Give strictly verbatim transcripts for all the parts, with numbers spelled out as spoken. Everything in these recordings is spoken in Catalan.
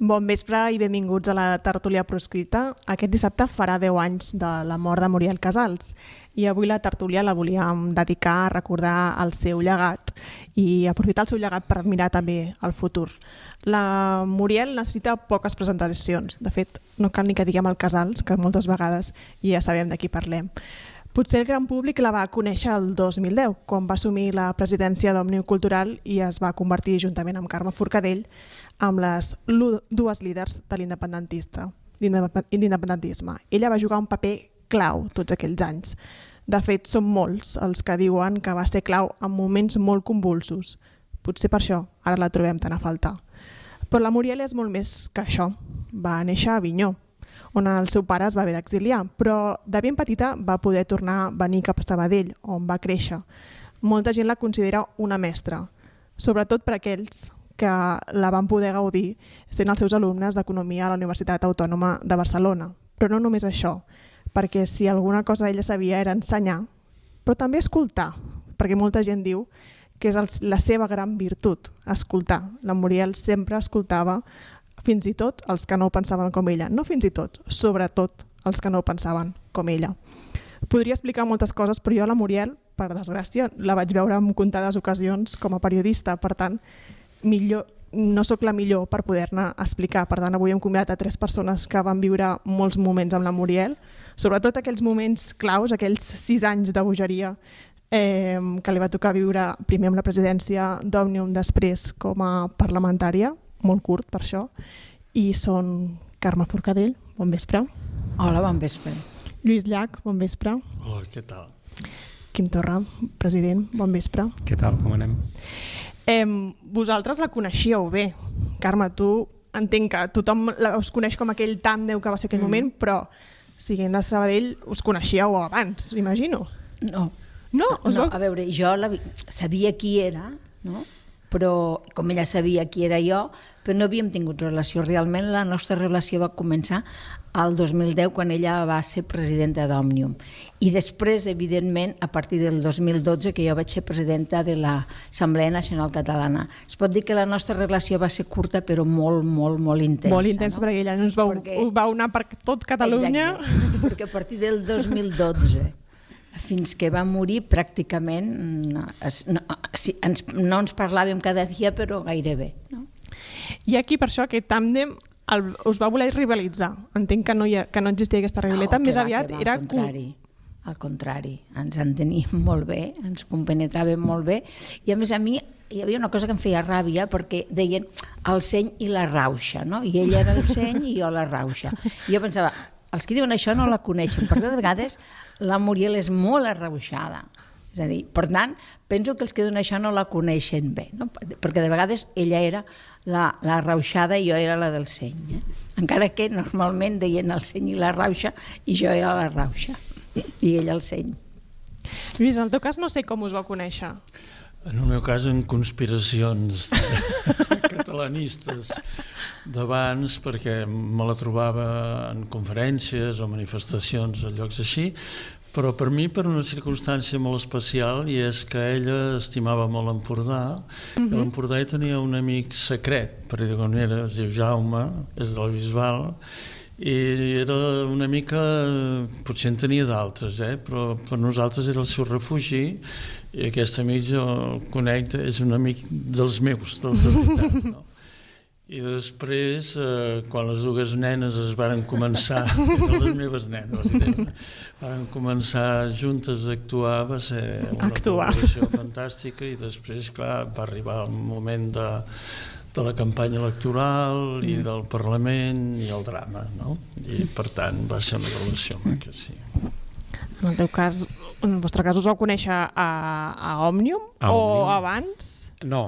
Bon vespre i benvinguts a la tertúlia proscrita. Aquest dissabte farà deu anys de la mort de Muriel Casals i avui la tertúlia la volíem dedicar a recordar el seu llegat i aprofitar el seu llegat per mirar també el futur. La Muriel necessita poques presentacions. De fet, no cal ni que diguem el Casals, que moltes vegades ja sabem de qui parlem. Potser el gran públic la va conèixer el dos mil deu, quan va assumir la presidència d'Òmnium Cultural i es va convertir, juntament amb Carme Forcadell, amb les dues líders de l'independentisme. Ella va jugar un paper clau tots aquells anys. De fet, són molts els que diuen que va ser clau en moments molt convulsos. Potser per això ara la trobem tan a faltar. Però la Muriel és molt més que això. Va néixer a Avinyó, on el seu pare es va haver d'exiliar, però de ben petita va poder tornar a venir cap a Sabadell, on va créixer. Molta gent la considera una mestra, sobretot per aquells que la van poder gaudir sent els seus alumnes d'Economia a la Universitat Autònoma de Barcelona. Però no només això, perquè si alguna cosa ella sabia era ensenyar, però també escoltar, perquè molta gent diu que és la seva gran virtut, escoltar. La Muriel sempre escoltava fins i tot els que no pensaven com ella. No fins i tot, sobretot els que no pensaven com ella. Podria explicar moltes coses, però jo la Muriel, per desgràcia, la vaig veure en comptades ocasions com a periodista. Per tant, millor, no sóc la millor per poder-ne explicar. Per tant, avui hem convidat a tres persones que van viure molts moments amb la Muriel, sobretot aquells moments claus, aquells sis anys de bogeria eh, que li va tocar viure primer amb la presidència d'Òmnium, després com a parlamentària, molt curt per això, i són Carme Forcadell, bon vespre. Hola, bon vespre. Lluís Llach, bon vespre. Hola, què tal? Quim Torra, president, bon vespre. Què tal, com anem? Eh, vosaltres la coneixíeu bé. Carme, tu entenc que tothom us coneix com aquell tàndem que va ser aquell mm. moment, però siguent de Sabadell us coneixíeu abans, imagino. No. No? no, no a veure, jo la, sabia qui era, no? Però com ella sabia qui era jo, però no havíem tingut relació. Realment la nostra relació va començar el dos mil deu, quan ella va ser presidenta d'Òmnium. I després, evidentment, a partir del dos mil dotze, que jo vaig ser presidenta de l'Assemblea Nacional Catalana. Es pot dir que la nostra relació va ser curta, però molt, molt, molt intensa. Molt intensa, no? Perquè ella ens va, perquè... va anar per tot Catalunya. Exacte, perquè a partir del dos mil dotze... fins que va morir pràcticament no, no, ens, no ens parlàvem cada dia, però gairebé. No? I aquí per això aquest tàndem el, us va voler rivalitzar. Entenc que no, hi ha, que no existia aquesta rivalitat, no, més va, aviat va, era... Al contrari, al contrari, ens enteníem molt bé, ens compenetràvem molt bé, i a més a mi hi havia una cosa que em feia ràbia, perquè deien el seny i la rauxa, no? I ell era el seny i jo la rauxa. I jo pensava, els que diuen això no la coneixen, perquè de vegades la Muriel és molt arrauxada. És a dir, per tant, penso que els que diuen això no la coneixen bé, no? Perquè de vegades ella era la, la rauxada i jo era la del seny. Eh? Encara que normalment deien el seny i la rauxa i jo era la rauxa i ella el seny. Lluís, en el teu cas no sé com us va conèixer. En el meu cas, en conspiracions catalanistes d'abans, perquè me la trobava en conferències o manifestacions a llocs així, però per mi per una circumstància molt especial, i és que ella estimava molt Empordà, uh-huh. i a l'Empordà hi tenia un amic secret, per dir-ho manera, es diu Jaume, és de la Bisbal, i era una mica, potser en tenia d'altres, eh? Però per nosaltres era el seu refugi, i aquest amic jo el conec, és un amic dels meus, dels de veritat, no? I després, eh, quan les dues nenes es varen començar, no les meves nenes, varen començar juntes a actuar, va ser una col·laboració fantàstica, i després, clar, va arribar el moment de, de la campanya electoral i del Parlament i el drama, no? I per tant va ser una relació maca, sí. En el teu cas, en el vostre cas us vau conèixer a, a Òmnium a o Òmnium. Abans? No,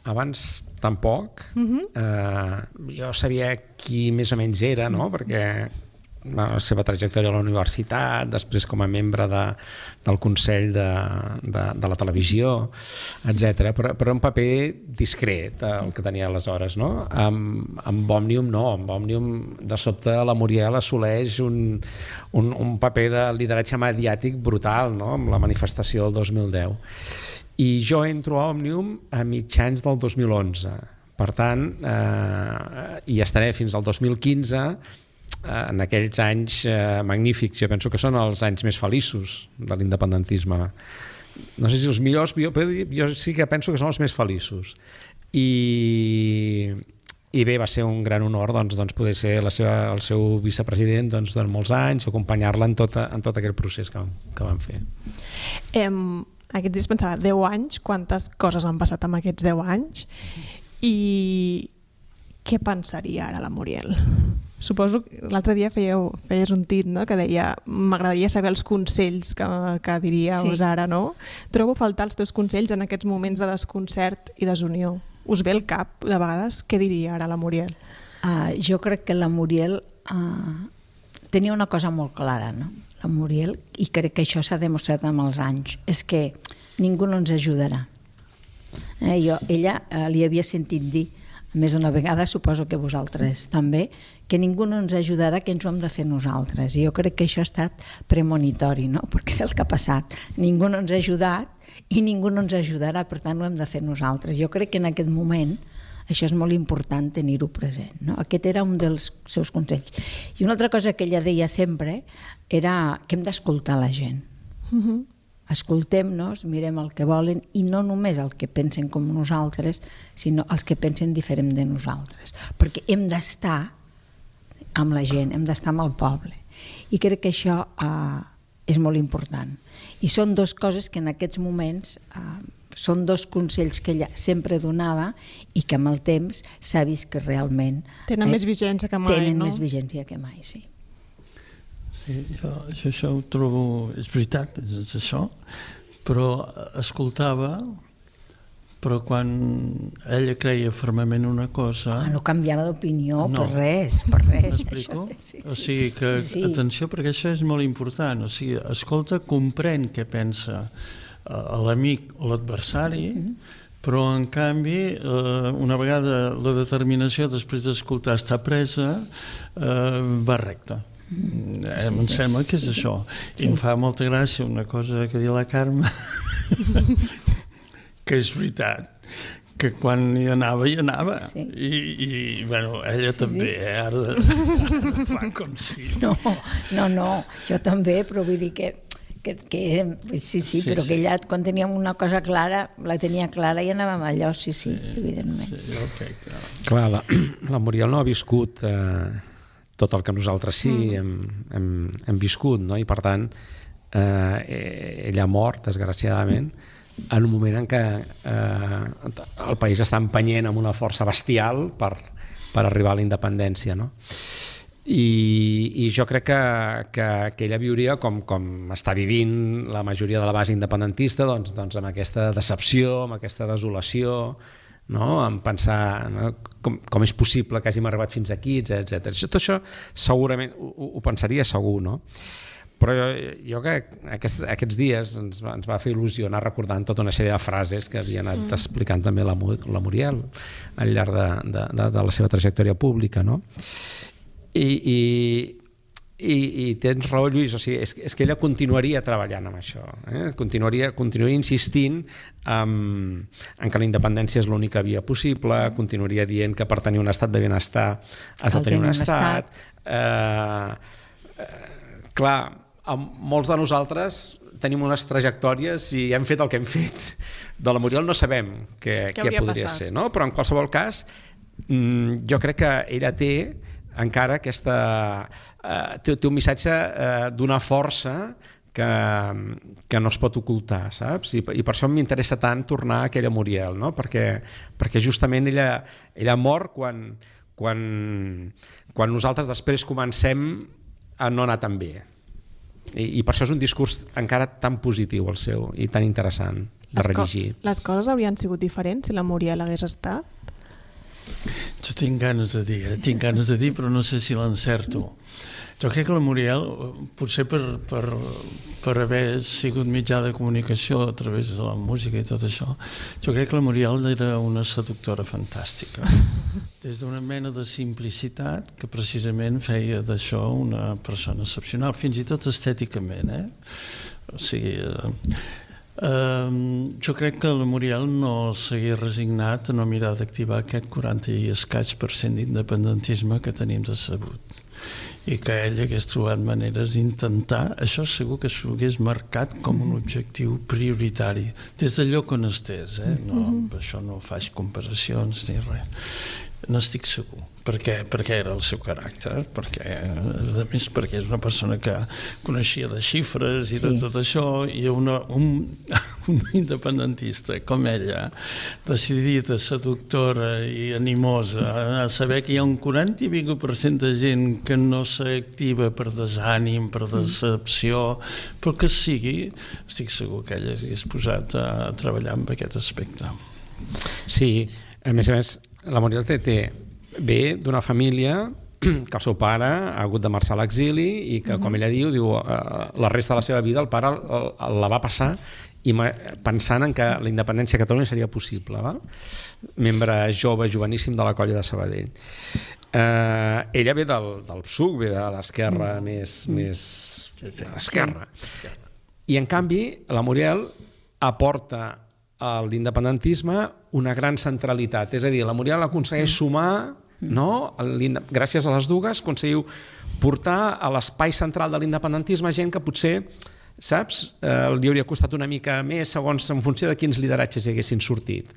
abans tampoc. Uh-huh. Uh, jo sabia qui més o menys era, no? Perquè la seva trajectòria a la universitat, després com a membre de, del Consell de, de, de la televisió, etcètera. Però, però un paper discret, el que tenia aleshores, no? Amb, amb Òmnium no, amb Òmnium de sobte la Muriel assoleix un, un, un paper de lideratge mediàtic brutal, no? Amb la manifestació del dos mil deu. I jo entro a Òmnium a mitjans del dos mil onze, Per tant, eh, hi estaré fins al dos mil quinze, eh, en aquells anys eh, magnífics. Jo penso que són els anys més feliços de l'independentisme. No sé si els millors, jo, jo sí que penso que són els més feliços. I, i bé, va ser un gran honor doncs, doncs poder ser la seva, el seu vicepresident doncs, durant molts anys, acompanyar-la en, tota, en tot aquell procés que, que vam fer. Em, aquests dies pensava, deu anys, quantes coses han passat en aquests deu anys? I què pensaria ara la Muriel? Suposo que l'altre dia fèieu, feies un tit, no?, que deia m'agradaria saber els consells que, que diríeu sí. ara, no? Trobo a faltar els teus consells en aquests moments de desconcert i desunió. Us ve el cap, de vegades, què diria ara la Muriel? Uh, jo crec que la Muriel uh, tenia una cosa molt clara, no? La Muriel, i crec que això s'ha demostrat amb els anys, és que ningú no ens ajudarà. Eh, jo, ella eh, li havia sentit dir més d'una vegada, suposo que vosaltres també, que ningú no ens ajudarà, que ens ho hem de fer nosaltres. I jo crec que això ha estat premonitori, no? Perquè és el que ha passat. Ningú no ens ha ajudat i ningú no ens ajudarà, per tant ho hem de fer nosaltres. Jo crec que en aquest moment això és molt important tenir-ho present, no? Aquest era un dels seus consells. I una altra cosa que ella deia sempre era que hem d'escoltar la gent. Uh-huh. Escoltem-nos, mirem el que volen i no només el que pensen com nosaltres, sinó els que pensen diferent de nosaltres. Perquè hem d'estar amb la gent, hem d'estar amb el poble. I crec que això eh, és molt important. I són dues coses que en aquests moments eh, són dos consells que ella sempre donava i que amb el temps s'ha vist que realment tenen eh, més vigència que mai, tenen no? més vigència que mai, sí. Sí, jo, jo això ho trobo, és veritat, és això, però escoltava, però quan ella creia fermament una cosa... Ah, no canviava d'opinió no. per res, per res. M'explico? Això, sí, sí. O sigui que, sí. atenció, perquè això és molt important, o sigui, escolta, comprèn què pensa l'amic o l'adversari, mm-hmm. però en canvi, eh, una vegada la determinació després d'escoltar està presa, eh, va recta. Mm. Eh, sí, em sí. sembla que és això. I sí. em fa molta gràcia una cosa que diu la Carme, que és veritat, que quan hi anava, hi anava. Sí. I, i bueno, ella sí, també, sí. Eh? Ara, ara fa com si... No, no, no, jo també, però vull dir que Que, que, sí, sí, sí, però sí. que ella, quan teníem una cosa clara, la tenia clara i anàvem allò, sí, sí, sí evidentment. Sí, okay, clar, clar la, la Muriel no ha viscut eh, tot el que nosaltres sí mm. hem, hem, hem viscut, no? I per tant, eh, ella ha mort, desgraciadament, en un moment en què eh, el país està empenyent amb una força bestial per, per arribar a la independència, no? I, i jo crec que, que, que ella viuria com, com està vivint la majoria de la base independentista, doncs, doncs amb aquesta decepció, amb aquesta desolació, no? En pensar, no? com, com és possible que hàgim arribat fins aquí, etcètera. Tot això segurament ho, ho pensaria segur, no? Però jo, jo que aquests, aquests dies ens va, ens va fer il·lusió anar recordant tota una sèrie de frases que havia anat mm. explicant també la, la Muriel al llarg de, de, de, de la seva trajectòria pública, no? I, i, i, i tens raó, Lluís, o sigui, és, és que ella continuaria treballant amb això, eh? continuaria, continuaria insistint en, en que la independència és l'única via possible, continuaria dient que per tenir un estat de benestar has de tenir un estat, estat. Eh, eh, clar, molts de nosaltres tenim unes trajectòries i hem fet el que hem fet. De la Muriel no sabem què, què podria passat? ser, no? Però en qualsevol cas jo crec que ella té encara aquesta, eh, té, té un missatge eh, d'una força que, que no es pot ocultar, saps? I, i per això m'interessa tant tornar a aquella Muriel, no? Perquè, perquè justament ella, ella mor quan, quan, quan nosaltres després comencem a no anar tan bé. I, i per això és un discurs encara tan positiu el seu i tan interessant de rellegir. Les, co les coses haurien sigut diferents si la Muriel hagués estat? Jo tinc ganes de dir, eh? tinc ganes de dir, però no sé si l'encerto. Jo crec que la Muriel, potser per, per, per haver sigut mitjà de comunicació a través de la música i tot això, jo crec que la Muriel era una seductora fantàstica. Des d'una mena de simplicitat que precisament feia d'això una persona excepcional, fins i tot estèticament. Eh? O sigui... Eh, Uh, jo crec que el Muriel no s'hagués resignat a no mirar d'activar aquest quaranta i escaig per cent d'independentisme que tenim decebut, i que ell hagués trobat maneres d'intentar, això segur que s'ho hagués marcat com un objectiu prioritari, des del lloc on estés, eh? No, per això no faig comparacions ni res. N'estic segur, perquè, perquè era el seu caràcter, perquè, a més, perquè és una persona que coneixia de xifres i de tot això, i una, un, un independentista com ella, decidida, seductora i animosa, a saber que hi ha un quaranta i escaig per cent de gent que no s'activa per desànim, per decepció, però que sigui, estic segur que ella s'hagués posat a treballar en aquest aspecte. Sí, a més a més, la Muriel té, té ve d'una família que el seu pare ha hagut de marxar a l'exili i que, com ella diu, diu la resta de la seva vida el pare la va passar i pensant en que la independència a Catalunya seria possible. Val? Membre jove, joveníssim de la colla de Sabadell. Eh, ella ve del, del P SUC, ve de l'esquerra mm. més, més esquerra. I en canvi la Muriel aporta a l'independentisme una gran centralitat, és a dir, la Muriel aconsegueix sumar, no? Gràcies a les dues aconseguiu portar a l'espai central de l'independentisme gent que potser, saps, eh, li hauria costat una mica més segons en funció de quins lideratges hi haguessin sortit,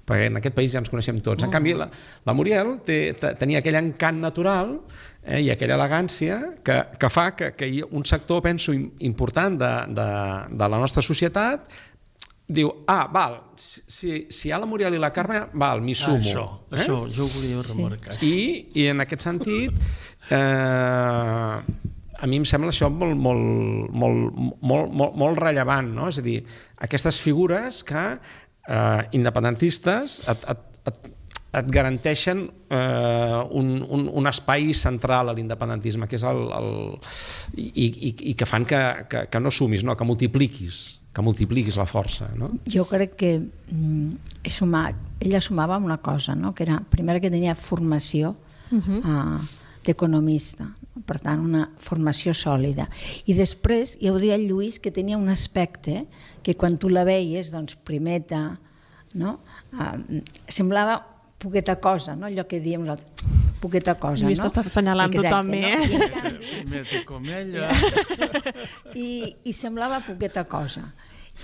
perquè en aquest país ja ens coneixem tots. En canvi, la, la Muriel té, tenia aquell encant natural eh, i aquella elegància que, que fa que, que un sector, penso, important de, de, de la nostra societat diu, ah, val, si, si hi ha la Muriel i la Carme, val, m'hi sumo. Ah, això, eh? això, jo ho volia remarcar. Sí. I, I en aquest sentit, eh, a mi em sembla això molt, molt, molt, molt, molt, molt rellevant, no? És a dir, aquestes figures que eh, independentistes et, et, et, et garanteixen eh, un, un, un espai central a l'independentisme, que és el, el i, i, i que fan que, que, que no sumis, no? Que multipliquis. que multipliquis la força, no? Jo crec que mm, he sumat, ella sumava una cosa, no? Que era, primer que tenia formació uh-huh. uh, d'economista, per tant una formació sòlida, i després ja ho deia el Lluís, que tenia un aspecte que quan tu la veies, doncs primeta, no? Uh, semblava poqueta cosa, no? Allò que diem nosaltres, poqueta cosa, Lluís, no? T'estàs assenyalant tu també, no? eh? I, en canvi, Primeta com ella. I, i semblava poqueta cosa.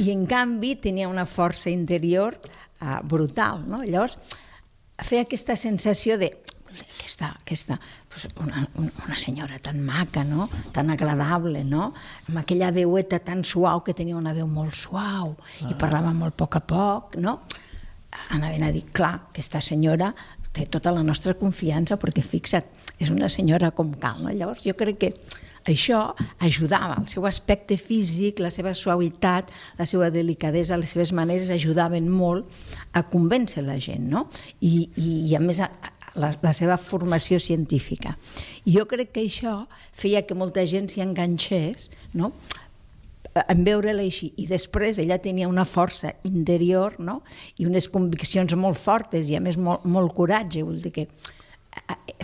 I en canvi tenia una força interior uh, brutal, no? Llavors feia aquesta sensació de aquesta, aquesta una, una senyora tan maca, no? Tan agradable, no? Amb aquella veueta tan suau, que tenia una veu molt suau ah. i parlava molt a poc a poc, no? Anaven a dir, clar, aquesta senyora té tota la nostra confiança, perquè fixa't, és una senyora com cal, no? Llavors jo crec que això ajudava, el seu aspecte físic, la seva suavitat, la seva delicadesa, les seves maneres ajudaven molt a convèncer la gent, no? I, i, i a més la, la seva formació científica. I jo crec que això feia que molta gent s'hi enganxés, no? En veure-la així, i després ella tenia una força interior, no? I unes conviccions molt fortes i a més molt, molt coratge, vull dir que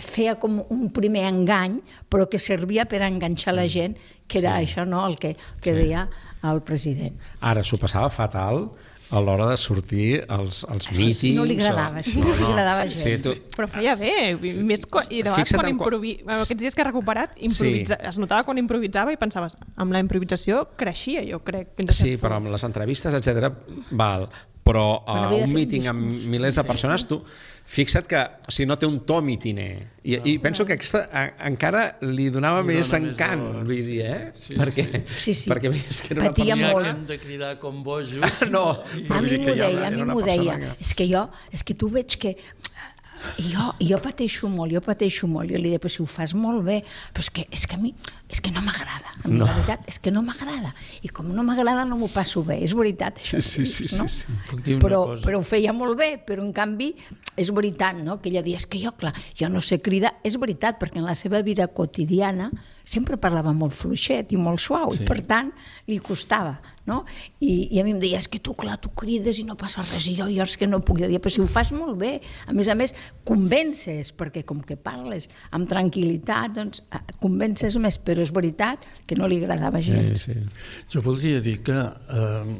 feia com un primer engany, però que servia per enganxar la gent, que era sí. això, no? El que, que sí. deia el president. Ara s'ho passava fatal a l'hora de sortir als, als mítings. No li agradava, sí, no, no, no li agradava gens. Sí, tu... Però feia bé, més quan, i de vegades quan improvi... quan... aquests dies que ha recuperat, improvisa... sí. es notava quan improvisava i pensaves, amb la improvisació creixia, jo crec. Sí, però amb les entrevistes, etcètera, val. Però a un míting amb milers de persones, tu fixa't que o sigui, no té un to mitiner. I, no, i penso que aquesta a, encara li donava li més encant, més vull dir, eh? Sí, perquè, sí, sí. perquè és que era patia una persona... molt. Que hem de cridar com bojos. No, a mi m'ho deia, a mi m'ho deia. Que... És que jo, és que tu veig que jo, jo pateixo molt, jo pateixo molt. Jo li deia, però si ho fas molt bé, però és que, és que a mi és que no m'agrada. A mi no. La veritat és que no m'agrada. I com no m'agrada no m'ho passo bé. És veritat, això. Sí, sí, sí, no? sí, sí. Puc dir una però, cosa. però ho feia molt bé, però en canvi és veritat, no? Que ella deia, és que jo, clar, jo no sé cridar. És veritat, perquè en la seva vida quotidiana sempre parlava molt fluixet i molt suau, sí. I per tant li costava, no? I, i a mi em deia, és que tu, clar, tu crides i no passa res, i jo, jo és que no puc. Jo deia, però si ho fas molt bé, a més a més, convences, perquè com que parles amb tranquil·litat, doncs convences més, però és veritat que no li agradava gens. Sí, sí. Jo voldria dir que eh,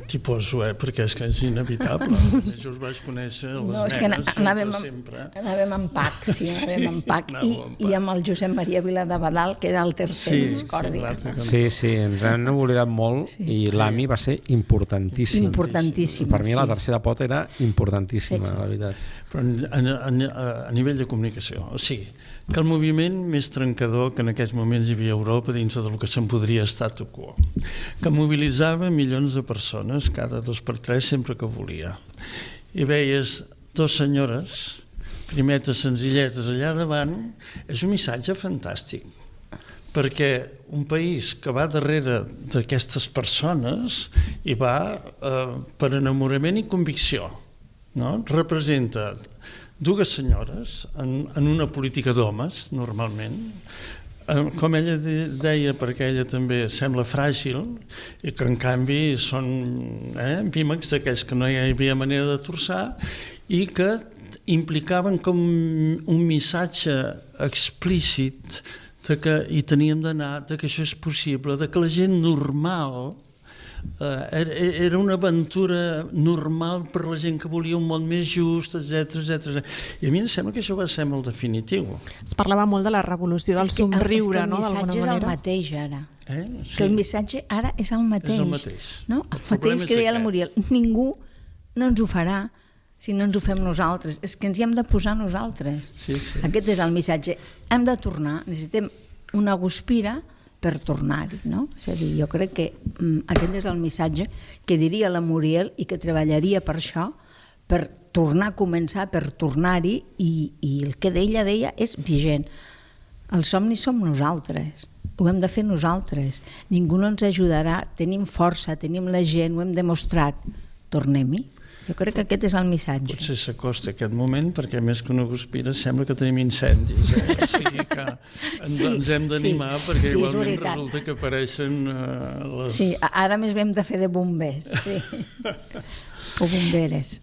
T'hi poso, eh? Perquè és que és inevitable. Jo us vaig conèixer a les no, és que nenes, anàvem, sempre. Anàvem en pack, sí, anàvem en pack. I, I amb el Josep Maria Viladabadal, que era el tercer sí, discordi. Sí, sí, sí, ens han oblidat molt sí. I l'Ami va ser importantíssim. Importantíssim, Per mi la tercera pota era importantíssima, sí. La veritat. Però a, a, a nivell de comunicació, o sigui, que el moviment més trencador que en aquests moments hi havia a Europa dins del que se'n podria statu quo, que mobilitzava milions de persones cada dos per tres sempre que volia. I veies dos senyores, primetes senzilletes allà davant, és un missatge fantàstic, perquè un país que va darrere d'aquestes persones i va eh, per enamorament i convicció, no? Representa dues senyores en, en una política d'homes, normalment, com ella deia, perquè ella també sembla fràgil i que en canvi són eh, vímecs d'aquells que no hi havia manera de torçar i que implicaven com un missatge explícit de que hi teníem d'anar, de que això és possible, de que la gent normal eh, era una aventura normal per la gent que volia un món més just, etcètera, etcètera. I a mi em sembla que això va ser molt definitiu. Es parlava molt de la revolució del somriure, no? És que el missatge és el mateix ara. Eh? Sí. Que el missatge ara és el mateix. És el mateix. No? El, el mateix que deia la Muriel. Ningú no ens ho farà si no ens ho fem nosaltres. És que ens hi hem de posar nosaltres. Sí, sí. Aquest és el missatge. Hem de tornar, necessitem una guspira per tornar-hi, no? És a dir, jo crec que mm, aquest és el missatge que diria la Muriel i que treballaria per això, per tornar a començar, per tornar-hi, i, i el que ella deia és vigent. Els somnis som nosaltres, ho hem de fer nosaltres. Ningú no ens ajudarà, tenim força, tenim la gent, ho hem demostrat. Tornem-hi. Jo crec que aquest és el missatge. Potser s'acosta aquest moment perquè més que una guspira sembla que tenim incendis. Eh? O sigui que ens, sí, ens hem d'animar sí, perquè sí, igualment resulta que apareixen uh, les... Sí, ara més hem de fer de bombers. Sí. O bomberes.